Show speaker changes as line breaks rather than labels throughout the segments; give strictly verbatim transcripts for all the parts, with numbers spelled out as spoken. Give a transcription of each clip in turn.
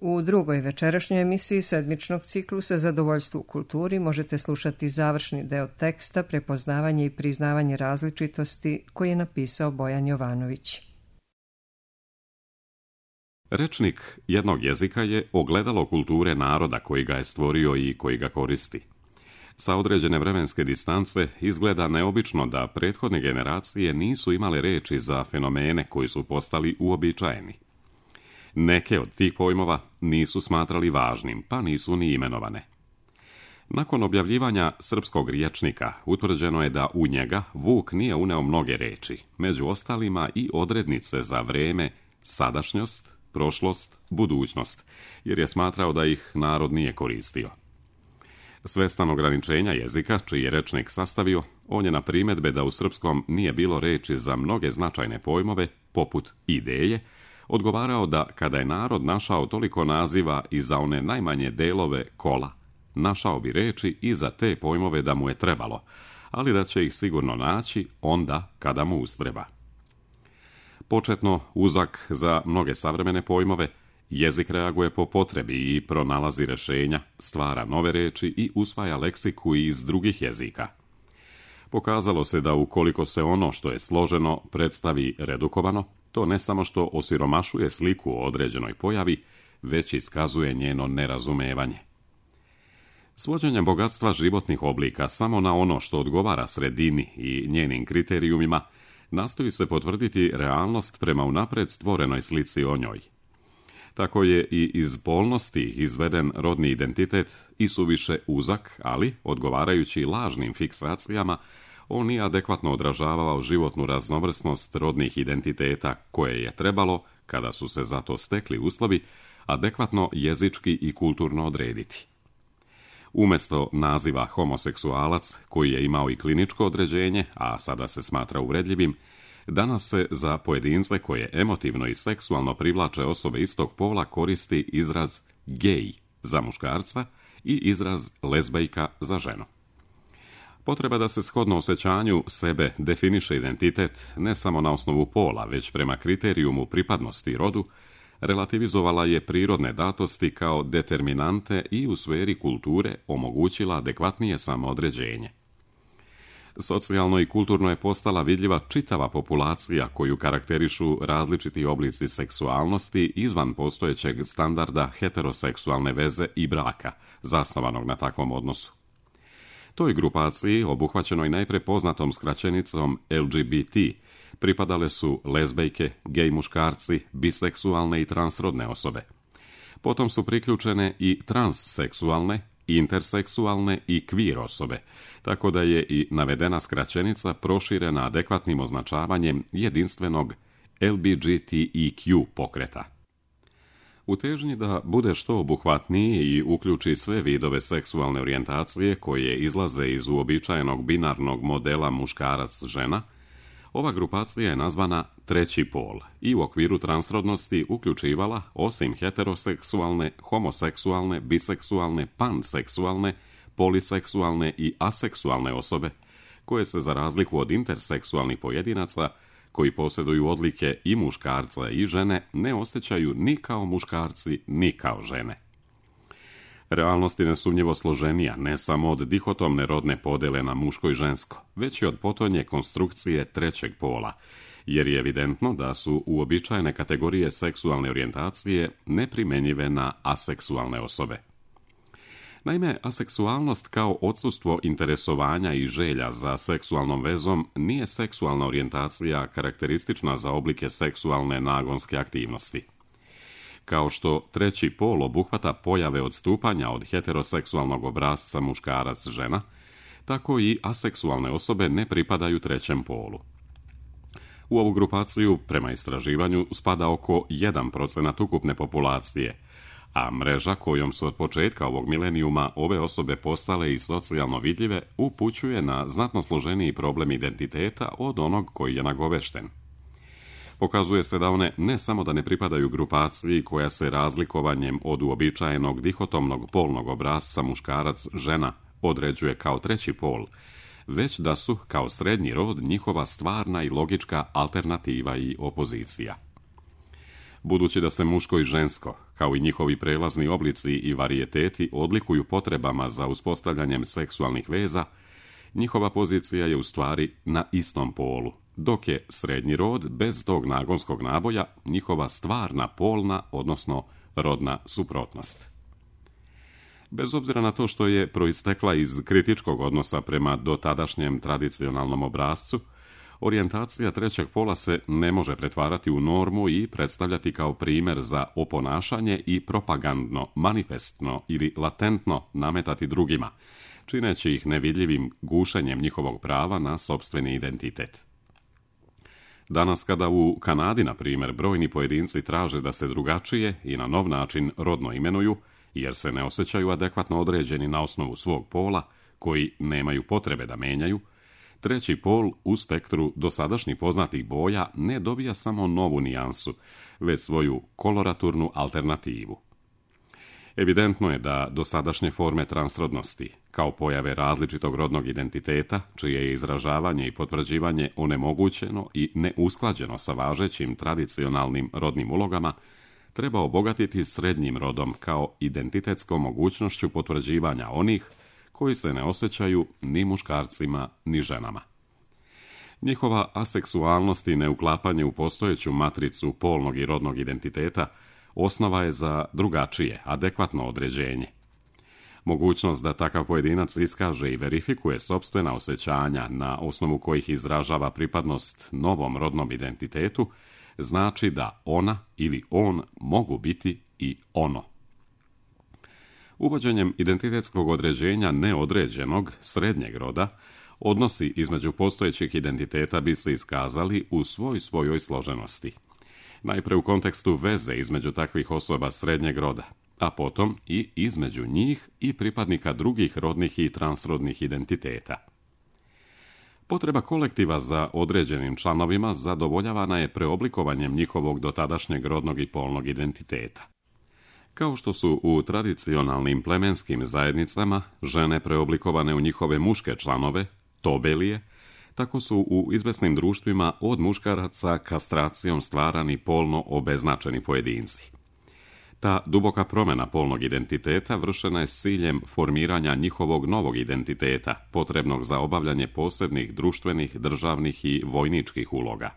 U drugoj večerašnjoj emisiji sedmičnog ciklusa Zadovoljstvo u kulturi možete slušati završni deo teksta Prepoznavanje i priznavanje različitosti koji je napisao Bojan Jovanović.
Rečnik jednog jezika je ogledalo kulture naroda koji ga je stvorio i koji ga koristi. Sa određene vremenske distance izgleda neobično da prethodne generacije nisu imale reči za fenomene koji su postali uobičajeni. Neke od tih pojmova nisu smatrali važnim, pa nisu ni imenovane. Nakon objavljivanja srpskog rječnika utvrđeno je da u njega Vuk nije uneo mnoge reči, među ostalima i odrednice za vreme, sadašnjost, prošlost, budućnost, jer je smatrao da ih narod nije koristio. Svestan ograničenja jezika, čiji je rečnik sastavio, on je na primedbe da u srpskom nije bilo reči za mnoge značajne pojmove, poput ideje, odgovarao da kada je narod našao toliko naziva i za one najmanje delove kola, našao bi reči i za te pojmove da mu je trebalo, ali da će ih sigurno naći onda kada mu ustreba. Početno uzak za mnoge savremene pojmove, jezik reaguje po potrebi i pronalazi rješenja, stvara nove reči i usvaja leksiku iz drugih jezika. Pokazalo se da ukoliko se ono što je složeno predstavi redukovano, to ne samo što osiromašuje sliku o određenoj pojavi, već iskazuje njeno nerazumevanje. Svođenjem bogatstva životnih oblika samo na ono što odgovara sredini i njenim kriterijumima, nastoji se potvrditi realnost prema unapred stvorenoj slici o njoj. Tako je i iz polnosti izveden rodni identitet i suviše uzak, ali, odgovarajući lažnim fiksacijama, on nije adekvatno odražavao životnu raznovrsnost rodnih identiteta koje je trebalo, kada su se za to stekli uslovi, adekvatno jezički i kulturno odrediti. Umjesto naziva homoseksualac, koji je imao i kliničko određenje, a sada se smatra uvredljivim, danas se za pojedince koje emotivno i seksualno privlače osobe istog pola koristi izraz gej za muškarca i izraz lezbejka za ženu. Potreba da se shodno osjećanju sebe definiše identitet ne samo na osnovu pola, već prema kriterijumu pripadnosti rodu, relativizovala je prirodne datosti kao determinante i u sferi kulture omogućila adekvatnije samoodređenje. Socijalno i kulturno je postala vidljiva čitava populacija koju karakterišu različiti oblici seksualnosti izvan postojećeg standarda heteroseksualne veze i braka, zasnovanog na takvom odnosu. Toj grupaciji, obuhvaćenoj najpre poznatom skraćenicom L G B T, pripadale su lezbejke, gej muškarci, biseksualne i transrodne osobe. Potom su priključene i transseksualne, interseksualne i queer osobe, tako da je i navedena skraćenica proširena adekvatnim označavanjem jedinstvenog L G B T Q pokreta. U težnji da bude što obuhvatniji i uključi sve vidove seksualne orijentacije koje izlaze iz uobičajenog binarnog modela muškarac-žena, ova grupacija je nazvana treći pol i u okviru transrodnosti uključivala, osim heteroseksualne, homoseksualne, biseksualne, panseksualne, poliseksualne i aseksualne osobe, koje se za razliku od interseksualnih pojedinaca, koji posjeduju odlike i muškarca i žene, ne osjećaju ni kao muškarci, ni kao žene. Realnost je nesumnjivo složenija, ne samo od dihotomne rodne podele na muško i žensko, već i od potonje konstrukcije trećeg pola, jer je evidentno da su uobičajene kategorije seksualne orijentacije neprimjenjive na aseksualne osobe. Naime, aseksualnost kao odsustvo interesovanja i želja za seksualnom vezom nije seksualna orijentacija karakteristična za oblike seksualne nagonske aktivnosti. Kao što treći pol obuhvata pojave odstupanja od heteroseksualnog obrasca muškarac-žena, tako i aseksualne osobe ne pripadaju trećem polu. U ovu grupaciju, prema istraživanju, spada oko jedan procenat ukupne populacije, a mreža kojom su od početka ovog milenijuma ove osobe postale i socijalno vidljive upućuje na znatno složeniji problem identiteta od onog koji je nagovešten. Pokazuje se da one ne samo da ne pripadaju grupaciji koja se razlikovanjem od uobičajenog dihotomnog polnog obrasca muškarac-žena određuje kao treći pol, već da su kao srednji rod njihova stvarna i logička alternativa i opozicija. Budući da se muško i žensko, kao i njihovi prelazni oblici i varijeteti, odlikuju potrebama za uspostavljanjem seksualnih veza, njihova pozicija je u stvari na istom polu, dok je srednji rod, bez tog nagonskog naboja, njihova stvarna polna, odnosno rodna suprotnost. Bez obzira na to što je proistekla iz kritičkog odnosa prema dotadašnjem tradicionalnom obrascu, orijentacija trećeg pola se ne može pretvarati u normu i predstavljati kao primjer za oponašanje i propagandno, manifestno ili latentno nametati drugima, čineći ih nevidljivim gušenjem njihovog prava na sopstveni identitet. Danas kada u Kanadi, na primjer, brojni pojedinci traže da se drugačije i na nov način rodno imenuju, jer se ne osjećaju adekvatno određeni na osnovu svog pola, koji nemaju potrebe da menjaju, treći pol u spektru dosadašnjih poznatih boja ne dobija samo novu nijansu, već svoju koloraturnu alternativu. Evidentno je da dosadašnje forme transrodnosti, kao pojave različitog rodnog identiteta, čije je izražavanje i potvrđivanje onemogućeno i neusklađeno sa važećim tradicionalnim rodnim ulogama, treba obogatiti srednjim rodom kao identitetskom mogućnošću potvrđivanja onih koji se ne osjećaju ni muškarcima ni ženama. Njihova aseksualnost i neuklapanje u postojeću matricu polnog i rodnog identiteta osnova je za drugačije, adekvatno određenje. Mogućnost da takav pojedinac iskaže i verifikuje sopstvena osjećanja na osnovu kojih izražava pripadnost novom rodnom identitetu, znači da ona ili on mogu biti i ono. Uvođenjem identitetskog određenja neodređenog, srednjeg roda, odnosi između postojećih identiteta bi se iskazali u svoj svojoj složenosti. Najpre u kontekstu veze između takvih osoba srednjeg roda, a potom i između njih i pripadnika drugih rodnih i transrodnih identiteta. Potreba kolektiva za određenim članovima zadovoljavana je preoblikovanjem njihovog dotadašnjeg rodnog i polnog identiteta. Kao što su u tradicionalnim plemenskim zajednicama žene preoblikovane u njihove muške članove, tobelije, tako su u izvesnim društvima od muškaraca kastracijom stvarani polno obeznačeni pojedinci. Ta duboka promjena polnog identiteta vršena je s ciljem formiranja njihovog novog identiteta, potrebnog za obavljanje posebnih društvenih, državnih i vojničkih uloga.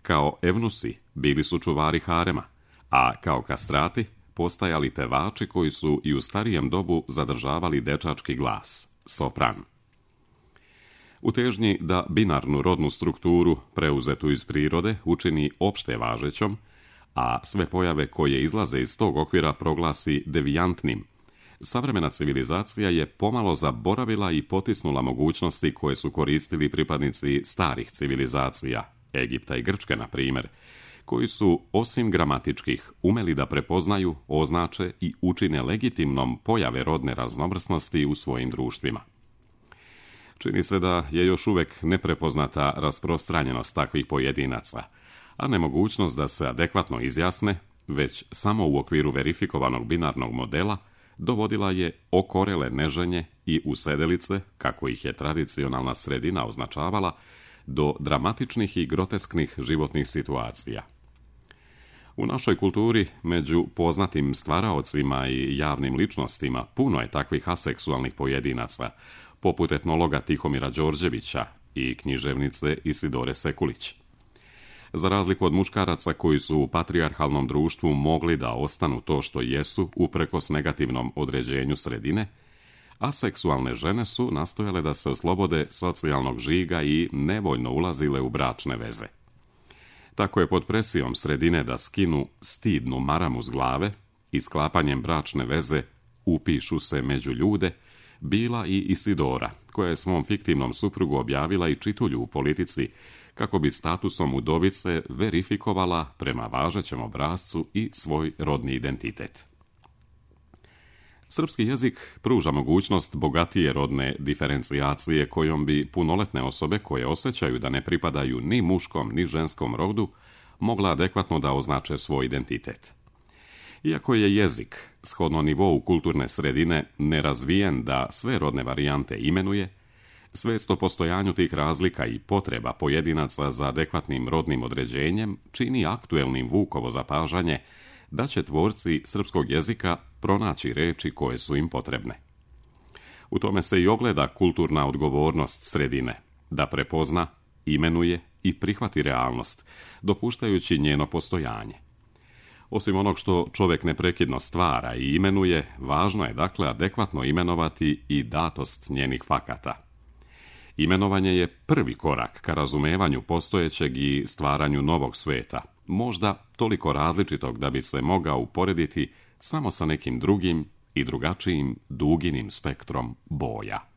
Kao evnusi bili su čuvari harema, a kao kastrati postajali pevači koji su i u starijem dobu zadržavali dečački glas, sopran. U težnji da binarnu rodnu strukturu, preuzetu iz prirode, učini opšte važećom, a sve pojave koje izlaze iz tog okvira proglasi devijantnim, savremena civilizacija je pomalo zaboravila i potisnula mogućnosti koje su koristili pripadnici starih civilizacija, Egipta i Grčke, na primjer, koji su, osim gramatičkih, umeli da prepoznaju, označe i učine legitimnom pojave rodne raznovrsnosti u svojim društvima. Čini se da je još uvijek neprepoznata rasprostranjenost takvih pojedinaca, a nemogućnost da se adekvatno izjasne, već samo u okviru verifikovanog binarnog modela, dovodila je okorele neženje i usedelice, kako ih je tradicionalna sredina označavala, do dramatičnih i grotesknih životnih situacija. U našoj kulturi, među poznatim stvaraocima i javnim ličnostima, puno je takvih aseksualnih pojedinaca, poput etnologa Tihomira Đorđevića i književnice Isidore Sekulić. Za razliku od muškaraca koji su u patrijarhalnom društvu mogli da ostanu to što jesu uprkos negativnom određenju sredine, aseksualne žene su nastojale da se oslobode socijalnog žiga i nevoljno ulazile u bračne veze. Tako je pod presijom sredine da skinu stidnu maramu s glave i sklapanjem bračne veze upišu se među ljude, bila i Isidora, koja je svom fiktivnom suprugu objavila i čitulju u politici kako bi statusom udovice verifikovala prema važećem obrascu i svoj rodni identitet. Srpski jezik pruža mogućnost bogatije rodne diferencijacije kojom bi punoletne osobe koje osjećaju da ne pripadaju ni muškom ni ženskom rodu mogla adekvatno da označe svoj identitet. Iako je jezik, shodno nivou kulturne sredine, nerazvijen da sve rodne varijante imenuje, Svijest o postojanju tih razlika i potreba pojedinaca za adekvatnim rodnim određenjem čini aktuelnim Vukovo zapažanje da će tvorci srpskog jezika pronaći reči koje su im potrebne. U tome se i ogleda kulturna odgovornost sredine, da prepozna, imenuje i prihvati realnost, dopuštajući njeno postojanje. Osim onog što čovjek neprekidno stvara i imenuje, važno je dakle adekvatno imenovati i datost njenih fakata. Imenovanje je prvi korak ka razumevanju postojećeg i stvaranju novog sveta, možda toliko različitog da bi se mogao uporediti samo sa nekim drugim i drugačijim duginim spektrom boja.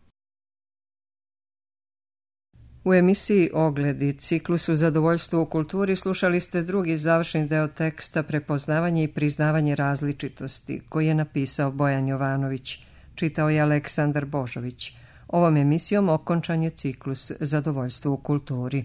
U emisiji Ogledi, ciklusu Zadovoljstvo u kulturi, slušali ste drugi završni deo teksta Prepoznavanje i priznavanje različitosti, koji je napisao Bojan Jovanović. Čitao je Aleksandar Božović. Ovom emisijom okončan je ciklus Zadovoljstvo u kulturi.